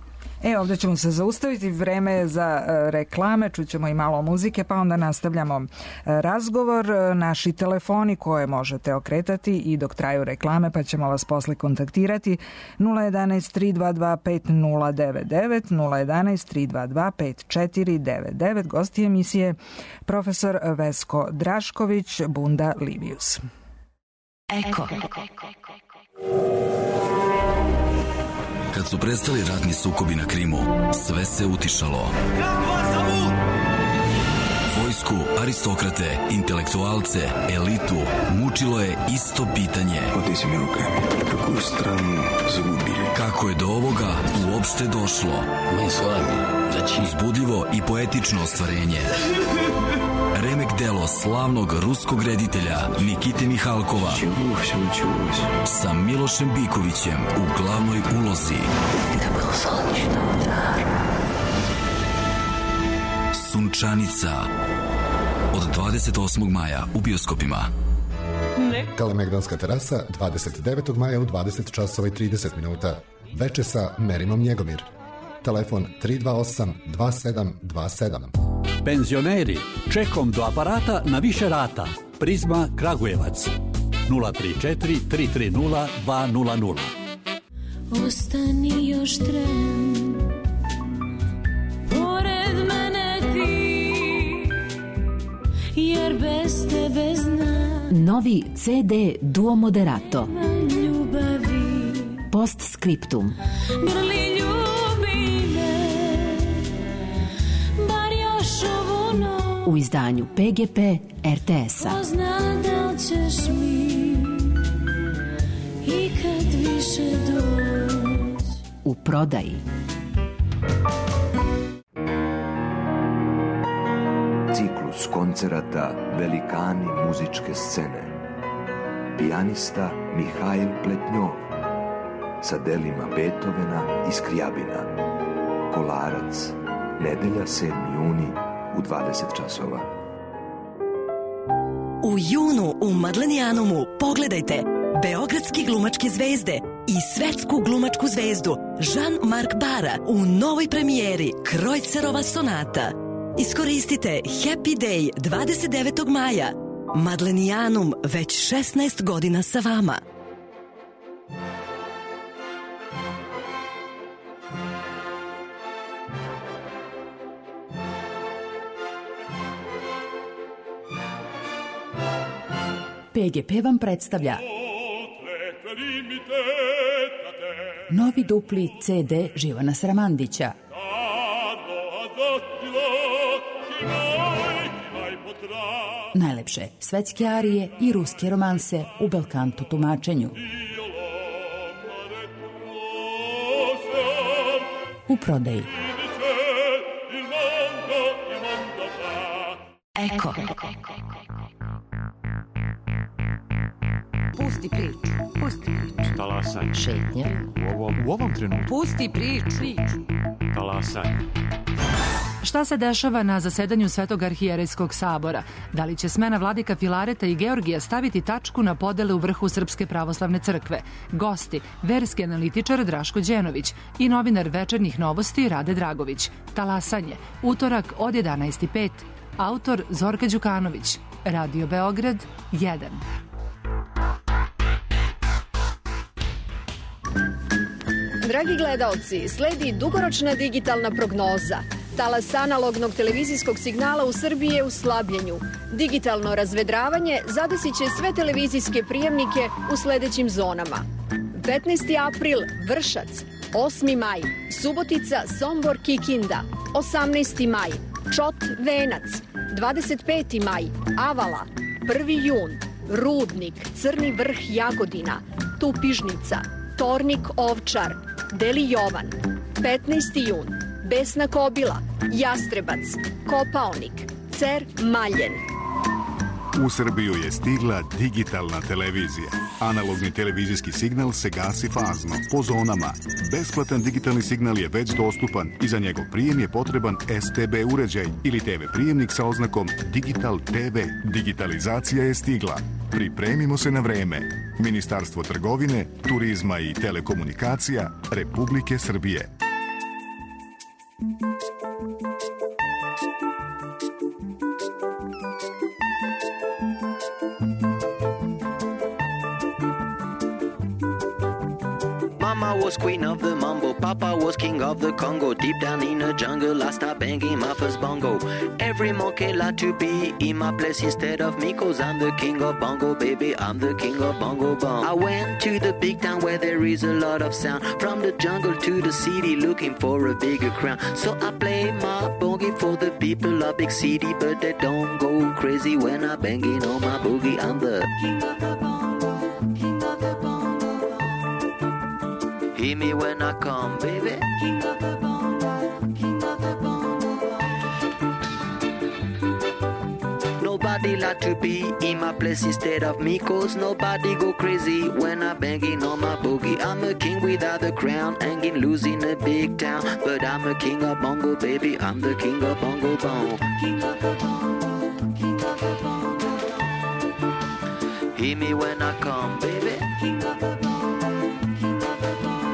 Ovdje ćemo se zaustaviti, vreme je za reklame, čućemo i malo muzike, pa onda nastavljamo razgovor. Naši telefoni koje možete okretati i dok traju reklame, pa ćemo vas posle kontaktirati 011 322 5099, 011 322 5499. Gosti emisije profesor Vesko Drašković, Bunda Livius. Eko. Kad su prestali ratni sukobi na Krimu, sve se utišalo. Vojsku, aristokrate, intelektualce, elitu mučilo je isto pitanje. Kako je do ovoga uopšte došlo? Uzbudljivo i poetično ostvarenje. Remek delo slavnog ruskog reditelja Nikite Mihalkova sa Milošem Bikovićem u glavnoj ulozi. Sunčanica od 28. maja u bioskopima. Kalemegdanska terasa 29. maja u 20 časova i 30 minuta. Veče sa Merinom Njegomir. Telefon 328 2727. Penzioneri, čekom do aparata na više rata. Prizma Kragujevac 034 330 200. Ostani još tren, pored mene ti, jer bez tebe znam. Novi CD Duo Moderato. Ljubavi. Postscriptum. Grli ljubi me, bar još ovu noć. U izdanju PGP RTS-a. Pozna da ćeš mi ikad više doći. U prodaji. Ciklus koncerata Velikani muzičke scene. Pijanista Mihajl Pletnjov sa delima Beethovena i Skrijabina. Kolarac, nedelja 7. juni u 20 časova. U junu u Madlenijanumu pogledajte beogradski glumačke zvezde i svetsku glumačku zvezdu Jean-Marc Bara u novoj premijeri Krojcerova sonata. Iskoristite Happy Day 29. maja. Madlenijanum već 16 godina sa vama. PGP vam predstavlja novi dupli CD Živana Sramandića. Najlepše svetske arije i ruske romanse u belkanto tumačenju. U prodaji. Eko. Pusti priču. Pusti priču. Talasanje. Šetnja. U ovom trenutku. Pusti priču. Talasanje. Šta se dešava na zasedanju Svetog arhijerejskog sabora? Da li će smena vladika Filareta i Georgija staviti tačku na podele u vrhu Srpske pravoslavne crkve? Gosti, verski analitičar Draško Đenović i novinar Večernjih novosti Rade Dragović. Talasanje, utorak od 11:05. Autor Zorka Đukanović. Radio Beograd 1. Dragi gledaoci, sledi dugoročna digitalna prognoza. Talas analognog televizijskog signala u Srbiji je u slabljenju. Digitalno razvedravanje zadesit će sve televizijske prijemnike u sledećim zonama. 15. april Vršac, 8. maj Subotica, Sombor, Kikinda, 18. maj Čot, Venac, 25. maj Avala, 1. jun Rudnik, Crni vrh, Jagodina, Tupižnica, Tornik, Ovčar, Deli Jovan, 15. jun Besna Kobila, Jastrebac, Kopaonik, Cer, Maljen. U Srbiju je stigla digitalna televizija. Analogni televizijski signal se gasi fazno, po zonama. Besplatan digitalni signal je već dostupan i za njegov prijem je potreban STB uređaj ili TV prijemnik sa oznakom Digital TV. Digitalizacija je stigla. Pripremimo se na vreme. Ministarstvo trgovine, turizma i telekomunikacija Republike Srbije. Mama was queen of the mambo, Papa was king of the Congo. Deep down in the jungle, I started banging my first bongo. Every monkey like to be in my place instead of me, 'cause I'm the king of bongo, baby, I'm the king of bongo bong. I went to the big town where there is a lot of sound. From the jungle to the city, looking for a bigger crown. So I play my boogie for the people of big city, but they don't go crazy when I'm banging on my boogie. I'm the king of the bongo, king of the bongo. Hear me when I come, baby. King of the bongo, king of the bongo. Nobody like to be in my place instead of me, 'cause nobody go crazy when I'm banging on my boogie. I'm a king without a crown, hanging loose in a big town, but I'm a king of bongo, baby. I'm the king of bongo bong. King of the bongo, king of the bongo. Hear me when I come, baby. King of the bongo, king of the bongo.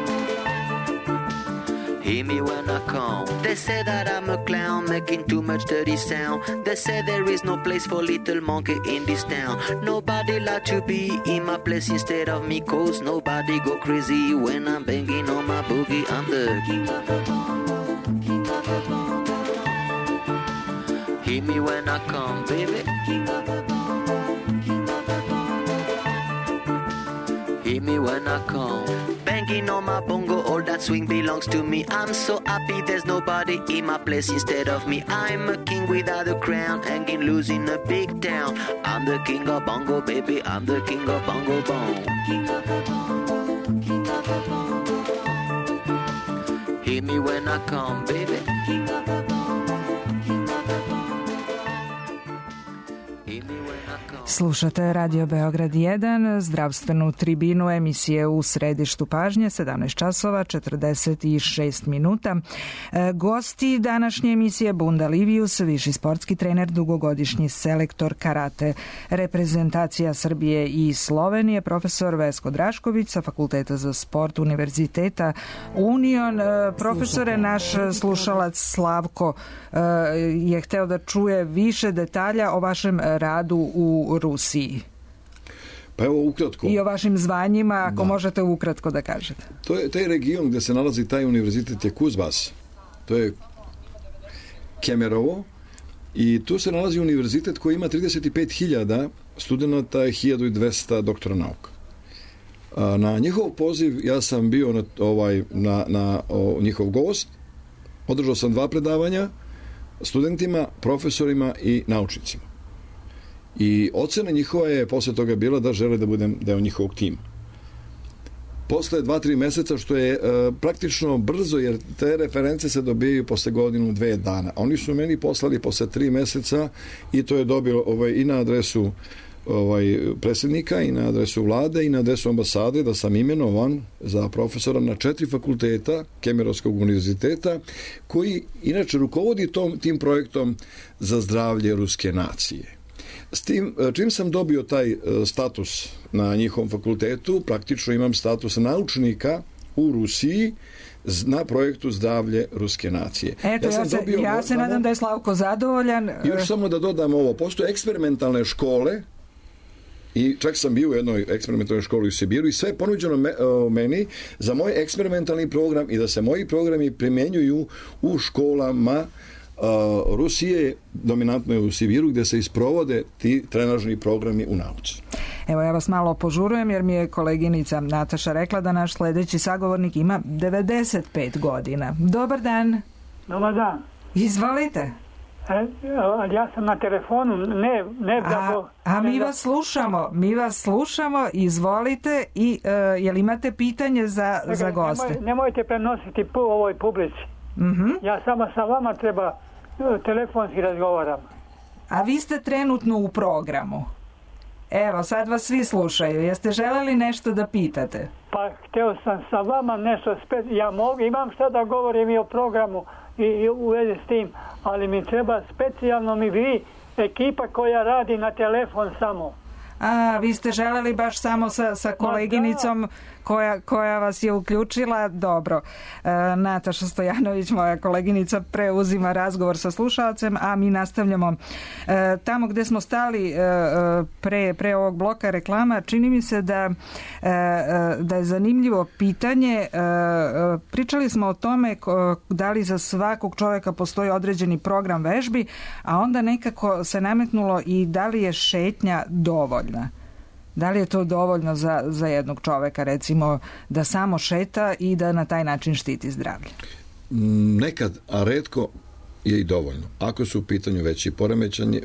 Hear me when I come. They say that I'm a clown, making too much dirty sound. They say there is no place for little monkey in this town. Nobody like to be in my place instead of me, 'cause nobody go crazy when I'm banging on my boogie. I'm the king of the bongo, king of the bongo. Hear me when I come, baby. King of the bongo, king of the bongo. Hear me when I come. Banging on my bongo, all that swing belongs to me. I'm so happy there's nobody in my place instead of me. I'm a king without a crown, hanging loose in a big town. I'm the king of bongo, baby. I'm the king of bongo bong. King of the bongo, king of the bongo. Hear me when I come, baby. King of the bongo, king of the bongo. Hear me when I come. Slušate Radio Beograd 1, zdravstvenu tribinu emisije U središtu pažnje, 17 časova 46 minuta. Gosti današnje emisije Bunda Livius, viši sportski trener, dugogodišnji selektor karate reprezentacija Srbije i Slovenije, profesor Vesko Drašković sa Fakulteta za sport Univerziteta Union. Profesore, naš slušalac Slavko je hteo da čuje više detalja o vašem radu u Rusiji. Pa evo ukratko. I o vašim zvanjima, ako možete ukratko da kažete. To je taj region gde se nalazi taj univerzitet je Kuzbas. To je Kemerovo i tu se nalazi univerzitet koji ima 35.000 studenta i 1.200 doktora nauka. Na njihov poziv ja sam bio na njihov gost. Održao sam 2 predavanja studentima, profesorima i naučnicima. I ocena njihova je posle toga bila da žele da budem deo njihovog tima. Posle 2-3 meseca, što je praktično brzo, jer te reference se dobijaju posle 1-2 dana. Oni su meni poslali posle 3 meseca i to je dobio i na adresu predsjednika i na adresu vlade i na adresu ambasade da sam imenovan za profesora na 4 fakulteta Kemerovskog univerziteta, koji inače rukovodi tim projektom za zdravlje ruske nacije. S tim, čim sam dobio taj status na njihovom fakultetu, praktično imam status naučnika u Rusiji na projektu zdravlje ruske nacije. Eto, ja se nadam da je Slavko zadovoljan. Još samo da dodam ovo, postoje eksperimentalne škole i čak sam bio u jednoj eksperimentalnoj školi u Sibiru i sve je ponuđeno meni za moj eksperimentalni program i da se moji programi primenjuju u školama Rusije, dominantno je u Sibiru, gde se isprovode ti trenažni programi u nauci. Evo, ja vas malo požurujem jer mi je koleginica Nataša rekla da naš sledeći sagovornik ima 95 godina. Dobar dan. Dobar dan. Izvolite. Ja sam na telefonu, ne da... mi vas slušamo, izvolite i jel imate pitanje za goste? Nemojte prenositi po ovoj publici. Ja samo sa vama treba telefonski razgovaram. A vi ste trenutno u programu. Evo, sad vas svi slušaju. Jeste želeli nešto da pitate? Pa, hteo sam sa vama nešto imam šta da govorim i o programu i u vezi s tim, ali mi treba specijalno vi, ekipa koja radi na telefon samo. A, vi ste želeli baš samo sa koleginicom koja vas je uključila. Dobro. Nataša Stojanović, moja koleginica, preuzima razgovor sa slušalcem, a mi nastavljamo tamo gde smo stali pre ovog bloka reklama. Čini mi se da je zanimljivo pitanje. Pričali smo o tome da li za svakog čovjeka postoji određeni program vežbi, a onda nekako se nametnulo i da li je šetnja dovoljna. Da li je to dovoljno za jednog čoveka, recimo, da samo šeta i da na taj način štiti zdravlje? Nekad, a retko je i dovoljno. Ako su u pitanju veći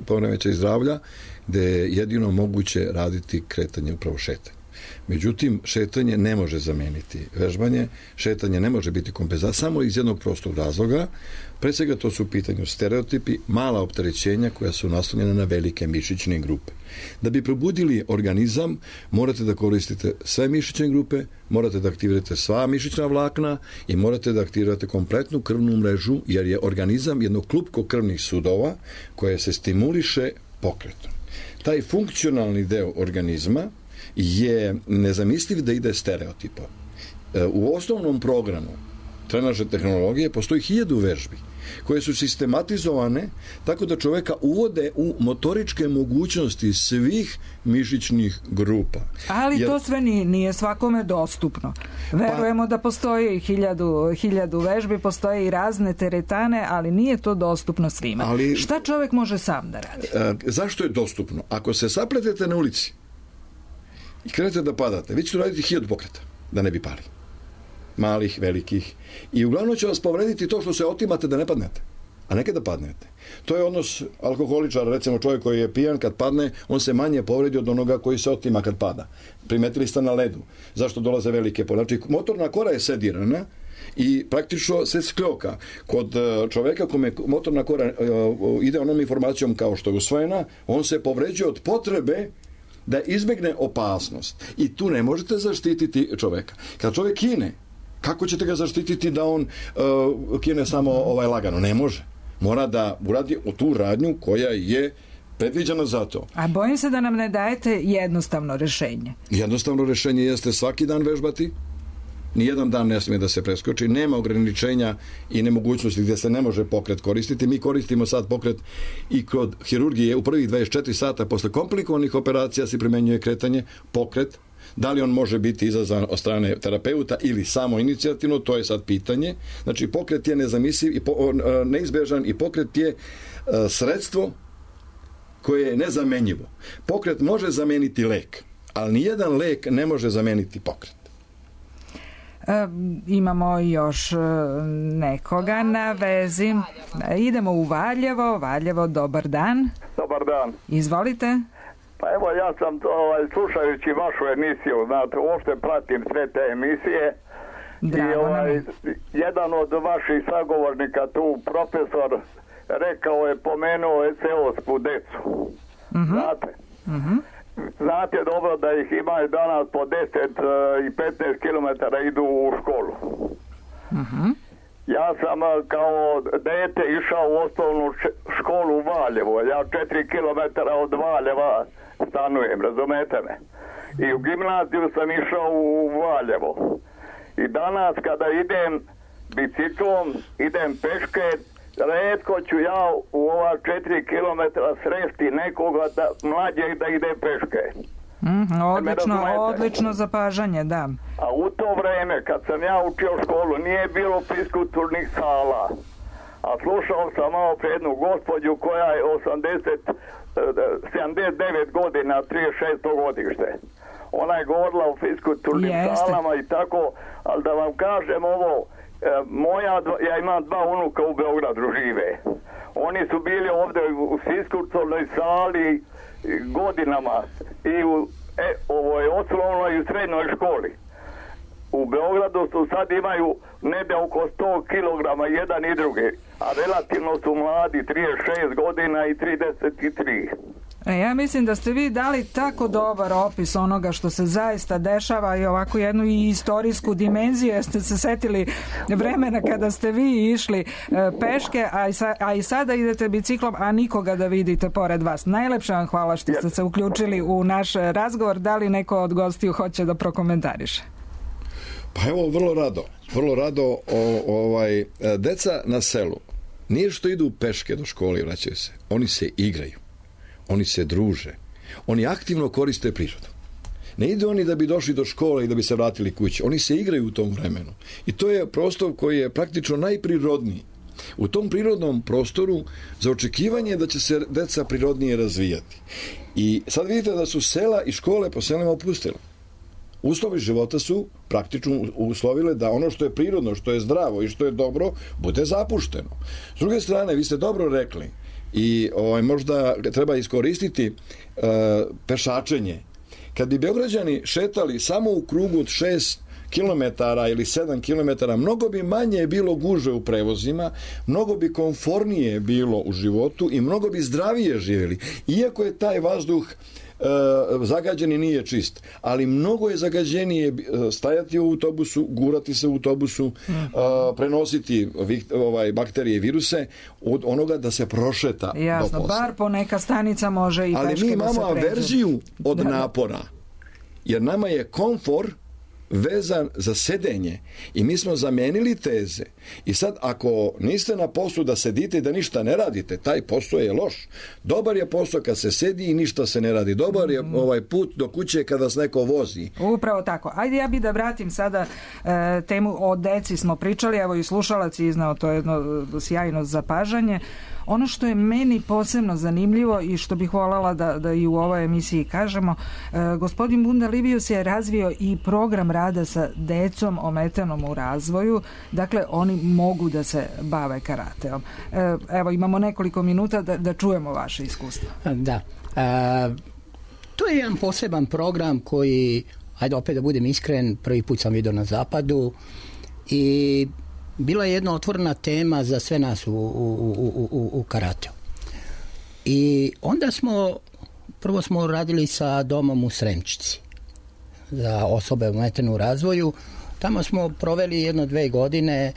poremećaj zdravlja, gde je jedino moguće raditi kretanje, upravo šetanje. Međutim, šetanje ne može zameniti vežbanje, šetanje ne može biti kompenzacija samo iz jednog prostog razloga. Pre svega to su u pitanju stereotipi, mala opterećenja koja su naslonjena na velike mišićne grupe. Da bi probudili organizam, morate da koristite sve mišićne grupe, morate da aktivirate sva mišićna vlakna i morate da aktivirate kompletnu krvnu mrežu, jer je organizam jedno klupko krvnih sudova koje se stimuliše pokretom. Taj funkcionalni deo organizma je nezamisliv da ide stereotipom. U osnovnom programu trenažne tehnologije postoji 1000 vežbi koje su sistematizovane tako da čoveka uvode u motoričke mogućnosti svih mišićnih grupa. Ali to sve nije svakome dostupno. Verujemo da postoji 1000 vežbi, postoje i razne teretane, ali nije to dostupno svima. Šta čovek može sam da radi? Zašto je dostupno? Ako se sapletete na ulici i krenete da padate, vi ćete raditi 1000 pokreta, da ne bi pali. Malih, velikih. I uglavnom će vas povrediti to što se otimate da ne padnete, a ne kada padnete. To je odnos alkoholičara, recimo čovjek koji je pijan, kad padne, on se manje povredi od onoga koji se otima kad pada. Primetili ste na ledu. Zašto dolaze velike povrede? Znači, motorna kora je sedirana i praktično se skljoka. Kod čoveka kome motorna kora ide onom informacijom kao što je usvojena, on se povređuje od potrebe da izbegne opasnost. I tu ne možete zaštititi čoveka. Kad čovjek kine, kako ćete ga zaštititi da on kine samo lagano? Ne može. Mora da uradi tu radnju koja je predviđena za to. A bojim se da nam ne dajete jednostavno rešenje. Jednostavno rešenje jeste svaki dan vežbati. Nijedan dan ne smije da se preskoči. Nema ograničenja i nemogućnosti gdje se ne može pokret koristiti. Mi koristimo sad pokret i kod hirurgije u prvih 24 sata posle komplikovanih operacija se primenjuje kretanje, pokret. Da li on može biti izazvan od strane terapeuta ili samo inicijativno, to je sad pitanje. Znači, pokret je nezamisliv i neizbežan i pokret je sredstvo koje je nezamenjivo. Pokret može zameniti lek, ali nijedan lek ne može zameniti pokret. Imamo još nekoga na vezi. Idemo u Valjevo. Valjevo, dobar dan. Dobar dan. Izvolite. Pa evo, ja sam slušajući vašu emisiju, znate, uopšte pratim sve te emisije. Drago nam je. Jedan od vaših sagovornika tu, profesor, rekao je, pomenuo je seosku decu. Znate? Znate dobro da ih imaju danas po 10 i 15 km idu u školu. Ja sam kao dete išao u osnovnu školu u Valjevo. Ja 4 km od Valjeva stanujem, razumete me? I u gimnaziju sam išao u Valjevo. I danas kada idem biciklom, idem peške, retko ću ja u ova 4 km sresti nekoga mlađeg da ide peške. Odlično zapažanje, da. A u to vreme kad sam ja učio školu nije bilo fiskulturnih sala. A slušao sam malo pre jednu gospođu koja je 79 godina, 36. godište. Ona je govorila o fiskulturnim salama i tako, ali da vam kažem ovo, ja imam 2 unuka u Beogradu žive. Oni su bili ovdje u fiskulturnoj sali godinama i u ovoj osnovnoj i srednjoj školi. U Beogradu su sad imaju nebe oko 100 kilograma jedan i drugi, a relativno su mladi, 36 godina i 33. Ja mislim da ste vi dali tako dobar opis onoga što se zaista dešava i ovako jednu i istorijsku dimenziju, jer ste se setili vremena kada ste vi išli peške, a i sada idete biciklom, a nikoga da vidite pored vas. Najlepše vam hvala što ste se uključili u naš razgovor. Da li neko od gostiju hoće da prokomentariše? Pa evo, vrlo rado deca na selu nije što idu peške do škole i vraćaju se, oni se igraju, oni se druže, oni aktivno koriste prirodu. Ne idu oni da bi došli do škole i da bi se vratili kući, oni se igraju u tom vremenu i to je prostor koji je praktično najprirodniji. U tom prirodnom prostoru za očekivanje da će se deca prirodnije razvijati. I sad vidite da su sela i škole po selima opustile. Uslovi života su praktično uslovile da ono što je prirodno, što je zdravo i što je dobro, bude zapušteno. S druge strane, vi ste dobro rekli i možda treba iskoristiti pešačenje. Kad bi Beograđani šetali samo u krugu od 6 kilometara ili 7 kilometara, mnogo bi manje bilo gužve u prevozima, mnogo bi komfornije bilo u životu i mnogo bi zdravije živjeli. Iako je taj vazduh zagađen i nije čist, ali mnogo je zagađenije stajati u autobusu, gurati se u autobusu, prenositi bakterije i viruse od onoga da se prošeta. Jasno, do posla. Bar po neka stanica može i peške da se pređe. Ali mi imamo averziju od napora, jer nama je komfor vezan za sedenje i mi smo zamenili teze i sad ako niste na poslu da sedite i da ništa ne radite, taj posao je loš. Dobar je posao kad se sedi i ništa se ne radi. Dobar je put do kuće kada vas neko vozi. Upravo tako. Ajde ja bih da vratim sada temu o deci smo pričali, evo i slušalac je iznao to jedno sjajno zapažanje. Ono što je meni posebno zanimljivo i što bih voljela da i u ovoj emisiji kažemo, gospodin Bunda Livius je razvio i program rada sa decom ometanom u razvoju, dakle oni mogu da se bave karateom. Evo imamo nekoliko minuta da čujemo vaše iskustvo. Da, to je jedan poseban program koji, ajde opet da budem iskren, prvi put sam vidio na zapadu i bila je jedna otvorena tema za sve nas u karateu. I onda prvo smo radili sa domom u Sremčici za osobe ometene u razvoju. Tamo smo proveli 1-2 godine,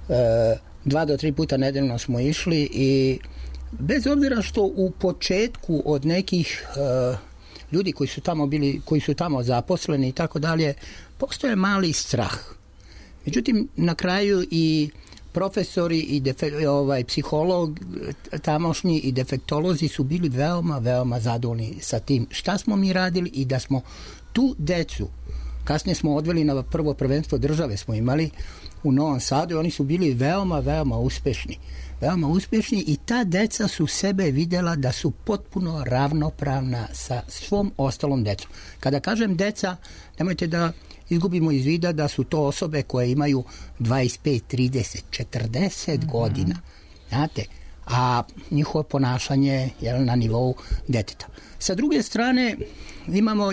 2 do 3 puta nedeljno smo išli i bez obzira što u početku od nekih ljudi koji su tamo bili, koji su tamo zaposleni i tako dalje, postoje mali strah. Međutim, na kraju i profesori i psiholog tamošnji i defektolozi su bili veoma, veoma zadovoljni sa tim šta smo mi radili i da smo tu decu, kasnije smo odveli na prvo prvenstvo države smo imali u Novom Sadu i oni su bili veoma, veoma uspešni. Veoma uspješni i ta deca su sebe vidjela da su potpuno ravnopravna sa svom ostalom decom. Kada kažem deca, nemojte da izgubimo iz vida da su to osobe koje imaju 25, 30, 40 godina. Znate, a njihovo ponašanje je na nivou deteta. Sa druge strane, imamo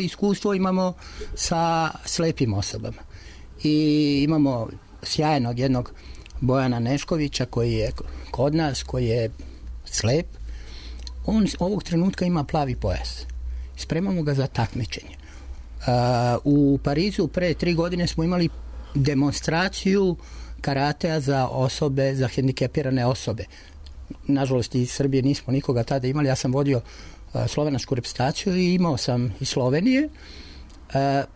sa slepim osobama. I imamo sjajnog jednog Bojana Neškovića koji je kod nas, koji je slep. On ovog trenutka ima plavi pojas. Spremamo ga za takmičenje. U Parizu pre 3 godine smo imali demonstraciju karatea za osobe, za hendikepirane osobe. Nažalost iz Srbije nismo nikoga tada imali, ja sam vodio slovenačku reprezentaciju i imao sam iz Slovenije.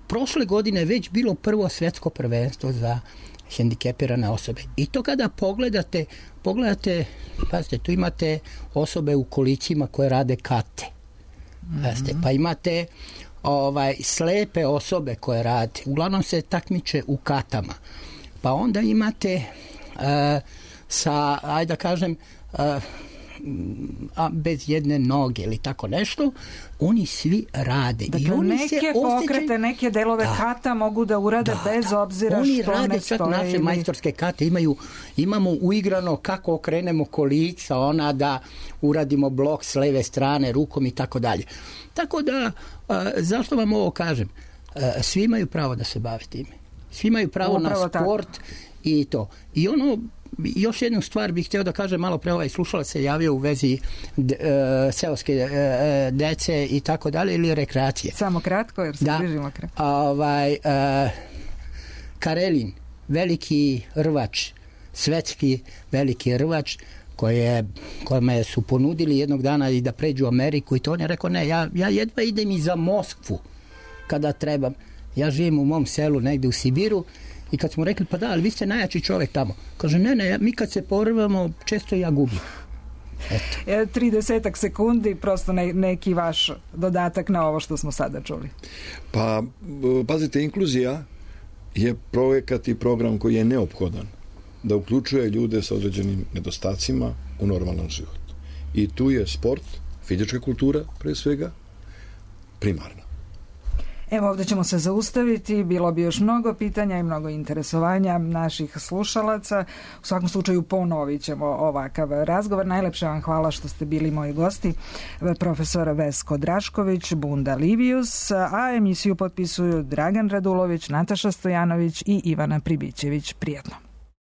Prošle godine već bilo prvo svjetsko prvenstvo za hendikepirane osobe. I to kada pogledate, pazite, tu imate osobe u kolicima koje rade kate. Pazite, pa imate slepe osobe koje rade, uglavnom se takmiče u katama. Pa onda imate ajde da kažem bez jedne noge ili tako nešto, oni svi rade. Dakle, i oni neke pokrete, neke delove kata mogu da urade bez obzira oni što rade, ne stoje. čak naše majstorske kate imamo uigrano kako okrenemo kolica, da uradimo blok s leve strane rukom i tako dalje. Tako da, zašto vam ovo kažem? Svi imaju pravo da se bave time. Svi imaju pravo na sport i to. I još jednu stvar bih htio da kažem, malo pre ovaj slušalac se javio u vezi seoske dece i tako dalje, ili rekreacije. Samo kratko, jer se bližimo kraju. Karelin, veliki rvač, svetski veliki rvač, kojima su ponudili jednog dana i da pređu u Ameriku, i to on je rekao, ne, ja jedva idem i za Moskvu kada trebam. Ja živim u mom selu negde u Sibiru, i kad smo rekli, pa da, ali vi ste najjači čovjek tamo. Kaže, ne, mi kad se porvamo, često ja gubim. 30 sekundi, prosto neki vaš dodatak na ovo što smo sada čuli. Pa, pazite, inkluzija je projekat i program koji je neophodan da uključuje ljude sa određenim nedostacima u normalan život. I tu je sport, fizička kultura, pre svega, primarna. Evo, ovdje ćemo se zaustaviti, bilo bi još mnogo pitanja i mnogo interesovanja naših slušalaca. U svakom slučaju ponovit ćemo ovakav razgovor. Najlepše vam hvala što ste bili moji gosti, profesor Vesko Drašković, Bunda Livius, a emisiju potpisuju Dragan Radulović, Nataša Stojanović i Ivana Pribićević. Prijatno.